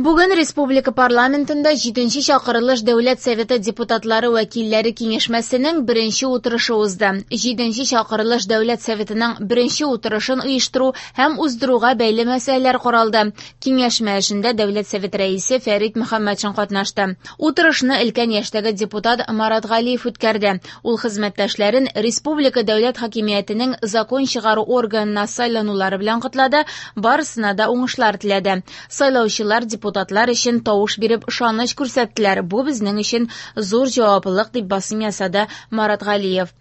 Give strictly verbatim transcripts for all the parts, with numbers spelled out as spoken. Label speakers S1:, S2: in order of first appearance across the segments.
S1: Бүген республика парламентында җиденче чакырылыш Дәүләт Советы депутатлары вәкилләре киңәшмәсенең беренче утырышы узды. Җиденче чакырылыш Дәүләт Советының беренче утырышын оештыру һәм уздыруга бәйле мәсьәләләр каралды. Киңәшмә эшендә Дәүләт Советы рәисе Фәрит Мөхәммәтшин катнашты. Утырышны өлкән яшьтәге депутат Марат Галиев үткәрде. Ул хезмәттәшләрен республика дәүләт хакимиятенең закон чыгару органына сайланулары белән котлады, барысына да уңышлар теләде. Сайлаучылар депутатлар өчен тавыш биреп ышаныч күрсәттеләр. Бу безнең өчен зур җаваплылык, дип басым ясады Марат Галиев.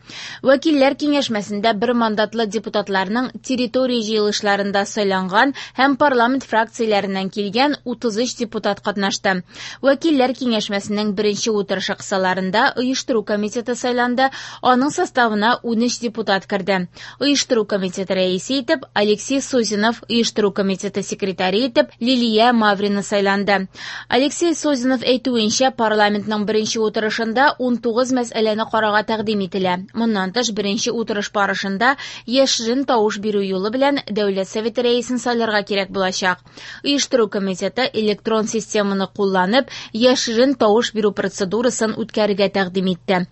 S1: Вәкилләр киңәшмәсендә бер мандатлы депутатларның территория җыелышларында сайланган һәм парламент фракцияләреннән килгән утыз өч депутат катнашты. Вәкилләр киңәшмәсенең беренче утырышы кысаларында оештыру комитеты сайланды, аның составына унөч депутат керде. Оештыру комитеты рәисе итеп Алексей Созинов, оештыру комитеты секретаре итеп Лилия Маврина сайланды. Алексей Созинов әйтүенчә, парламентның беренче утырышында унтугыз мәсьәләне карарга тәкъдим ителә. Моннан тыш, беренче утырыш барышында яшерен тавыш бирү юлы белән Дәүләт Советы рәисен сайларга кирәк булачак. Оештыру комитеты электрон системаны кулланып, яшерен тавыш бирү процедурасын үткәрергә тәкъдим итте.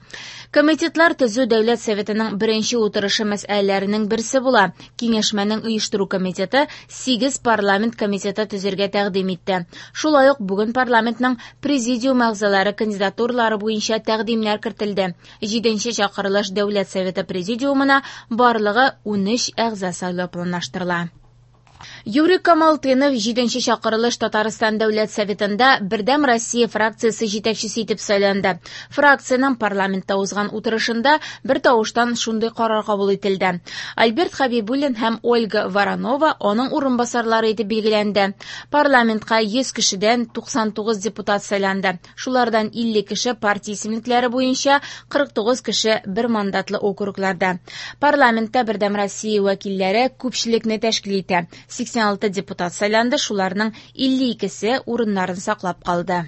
S1: Комитетлар төзү Дәүләт Советының беренче утырышы мәсьәләләренең берсе була. Киңәшмәнең оештыру комитеты сигез парламент комитеты төзергә тәкъдим итте. Шулай ук бүген парламентның президиум әгъзалары кандидатуралары буенча тәкъдимнәр кертелде. Җиденче чакырылыш Дәүләт Советы президиумына барлыгы унөч әгъза сайлау планлаштырыла. Юрий Камалтынов җиденче чакырылыш Татарстан Дәүләт Советында Бердәм Россия фракциясе җитәкчесе итеп сайланды. Фракциянең парламентта узган утырышында бер тавыштан шундый карар кабул ителде. Альберт Хабибуллин һәм Ольга Воронова аның урынбасарлары итеп билгеләнде. Парламентка йөз кешедән туксан тугыз депутат сайланды. Шулардан илле кеше партия исемлекләре буенча, кырык тугыз кеше бер мандатлы округларда. Парламентта Бердәм Россия вәкилләре күпчелекне тәшкил итә. Сиксән алты депутат сайланды, шуларның илле икесе урыннарын саклап калды.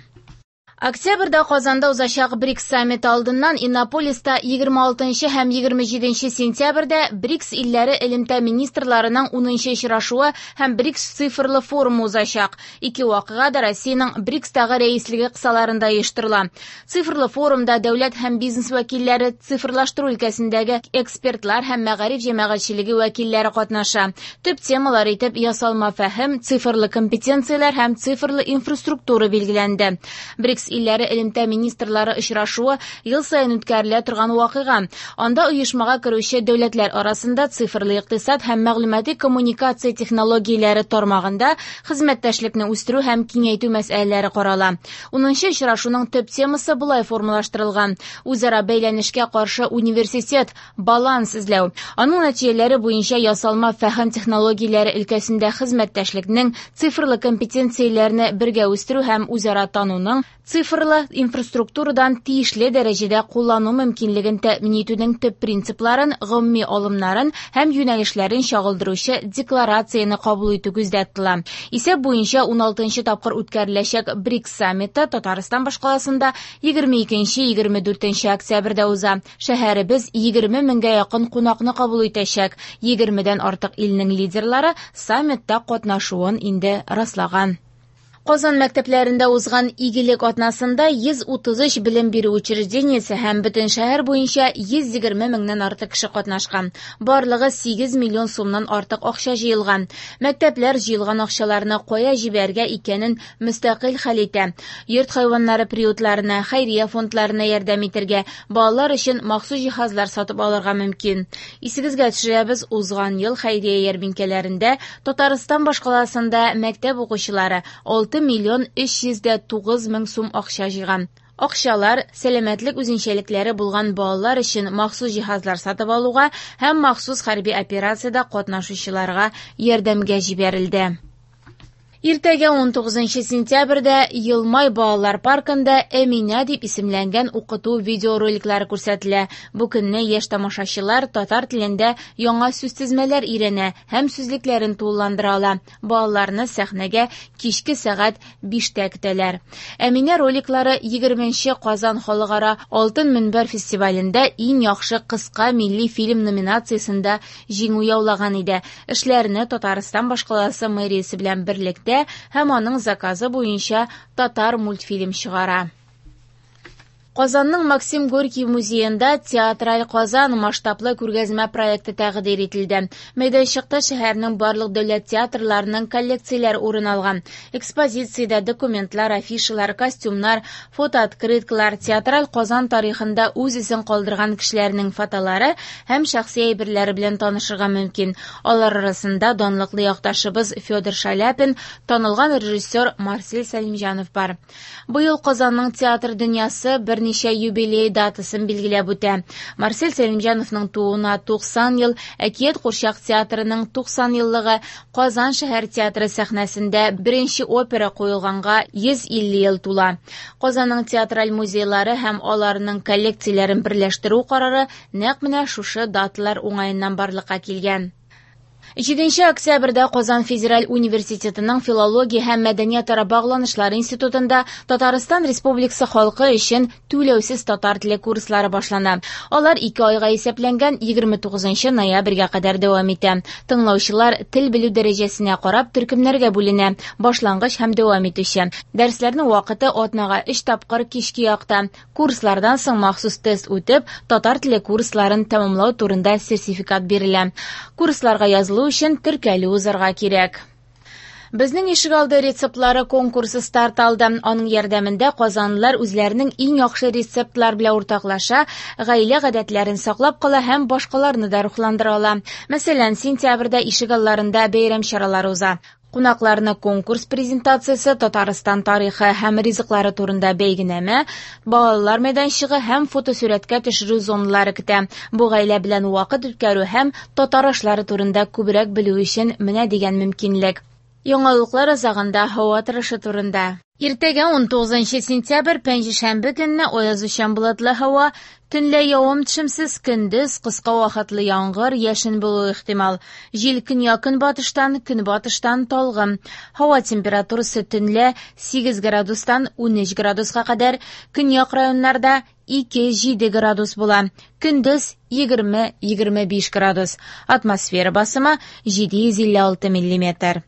S1: Октябрьдә Казанда узачак БРИКС саммиты алдыннан Иннополиста егерме алтынчы һәм егерме җиденче сентябрьдә БРИКС илләре элемтә министрларының унынчы очрашуы һәм БРИКС цифрлы форумы узачак. Ике вакыйга да Россиянең БРИКСтагы рәислеге кысаларында оештырыла. Цифрлы форумда дәүләт һәм бизнес вәкилләре, цифрлаштыру өлкәсендәге экспертлар һәм мәгариф җәмәгатьчелеге вәкилләре катнаша. Төп темалар итеп ясалма фәһем, цифрлы компетенцияләр һәм цифрлы инфраструктура билгеләнде. БРИКС илләре элемтә министрлары очрашуы ел саен үткәрелә торган вакыйга. Анда оешмага керүче дәүләтләр арасында цифрлы икътисад һәм мәгълүмати коммуникация технологияләре тармагында хезмәттәшлекне үстерү һәм киңәйтү мәсьәләләре карала. Унынчы очрашуның төп темасы болай формалаштырылган: үзара бәйләнешкә каршы университет баланс эзләү. Аның нәтиҗәләре буенча ясалма фәһем технологияләре өлкәсендә хезмәттәшлекнең цифрлы компетенцияләрне бергә үстерү һәм үзара тануның цифрлы инфраструктурадан тиешле дәрәҗәдә куллану мөмкинлеген тәэмин итүнең төп принципларын, гомуми алымнарын һәм юнәлешләрен чагылдыручы декларацияне кабул итү күздә тотыла. Исәп буенча уналтынчы тапкыр үткәреләчәк БРИКС саммиты Татарстан башкаласында егерме икенче егерме дүртенче октябрьдә уза. Шәһәребез егерме меңгә якын кунакны кабул итәчәк. Егермедән артык илнең лидерлары саммитта катнашуын инде раслаган. Казан мәктәпләрендә узган игелек атнасында йөз утыз өч белем бирү учреждениесе һәм бөтен шәһәр буенча йөз егерме меңнән артык кеше катнашкан. Барлыгы сигез миллион сумнан артык акча җыелган. Мәктәпләр җыелган акчаларны кая җибәрергә икәнен мөстәкыйль хәл итә. Йорт хайваннары приютларына, хәйрия фондларына ярдәм итәргә, балалар өчен махсус җиһазлар сатып алырга мөмкин. Исегезгә төшерәбез, узган ел хәйрия ярминкәләрендә Татарстан башкаласында мәктәп укучылары алты миллион өч йөз дә тугыз мең сум акча җыйган. Акчалар сәламәтлек үзенчәлекләре булган балалар өчен махсус җиһазлар сатып алуга һәм махсус хәрби операциядә катнашучыларга ярдәмгә җибәрелде. Иртәгә ун тугызынчы сентябрьдә Йылмай балалар паркында Әминә дип исемләнгән укыту видеороликлары күрсәтелә. Бу көнне яшь тамашачылар татар телендә яңа сүзтезмәләр өйрәнә һәм сүзлекләрен тулыландыра ала. Балаларны сәхнәгә кичке сәгать биштә көтәләр. Әминә роликлары егерменче Казан халыкара Алтын мөнбәр фестивалендә иң яхшы кыска милли фильм номинациясендә җиңү яулаган иде. Эшләрне Татарстан башкаласы мэриясе белән берлектә итә һәм аның заказы буенча татар мультфильм чыгара. Казанның Максим Горький музеенда «Театраль Казан» масштаблы күргәзмә проекты тәкъдир ителде. Мәйданчыкта шәһәрнең барлык дәүләт театрларының коллекцияләре урын алган. Экспозициядә документлар, афишалар, костюмнар, фотооткрыткалар, «Театраль Казан» тарихында үз эзен калдырган кешеләрнең фотолары һәм шәхси әйберләре белән танышырга мөмкин. Алар арасында данлыклы якташыбыз Федор Шаляпин, танылган режиссер Марсель Сәлимҗанов бар. Быел Казанның театр дөньясы берничә юбилей датасын билгеләп үтә. Марсель Сәлимҗановның тууына туксан ел, Әкият курчак театрының туксан еллыгы, Казан шәһәр театры сәхнәсендә беренче опера куелганга йөз илле ел тула. Казанның театраль музейлары һәм аларның коллекцияләрен берләштерү карары нәкъ менә шушы даталар уңаеннан барлыкка килгән. Җиденче октябрьдә Казан федераль университетының филология һәм мәдәниятара багланышлар институтында Татарстан Республикасы халкы өчен түләүсез татар теле курслары башлана. Алар ике айга исәпләнгән егерме тугызынчы ноябрьгә кадәр дәвам итә. Тыңлаучылар тел белү дәрәҗәсенә карап төркемнәргә бүленә, башлангыч һәм дәвам итүче. Дәресләрнең вакыты атнага өч тапкыр кичке якта. Курслардан соң махсус тест үтеп, татар теле курсларын тәмамлау турында сертификат бирелә. Курсларга язылу өчен теркәлү узарга кирәк. Безнең ишегалды рецептлары конкурсы старт алды. Аның ярдәмендә казанлылар үзләренең иң яхшы рецептлар белән уртаклаша, гаилә гадәтләрен саклап кала һәм башкаларны да рухландыра ала. Мәсәлән, сентябрьдә ишегалларында бәйрәм чаралары уза. Кунакларны конкурс презентациясе, Татарстан тарихы һәм ризыклары турында бәйгенәмә, балалар мәйданчыгы һәм фотосурәткә төшерү зоналары көтә. Бу гаилә белән вакыт үткәрү һәм татар ашлары турында күбрәк белү өчен менә дигән мөмкинлек. Яңалыклар азагында һава торышы турында. Иртәгә ун тугызынчы сентябрь пәнҗешәмбе көнне аязучан болытлы һава, төнлә явым-төшемсез, көндез кыска вакытлы яңгыр, яшен булуы ихтимал. Җил көньяк-көнбатыштан, көнбатыштан талгын. Һава температурасы төнлә сигез градустан унөч градуска кадәр, көньяк районнарда ике-җиде градус була. Көндез егерме-егерме биш градус. Атмосфера басымы җиде йөз илле алты миллиметр.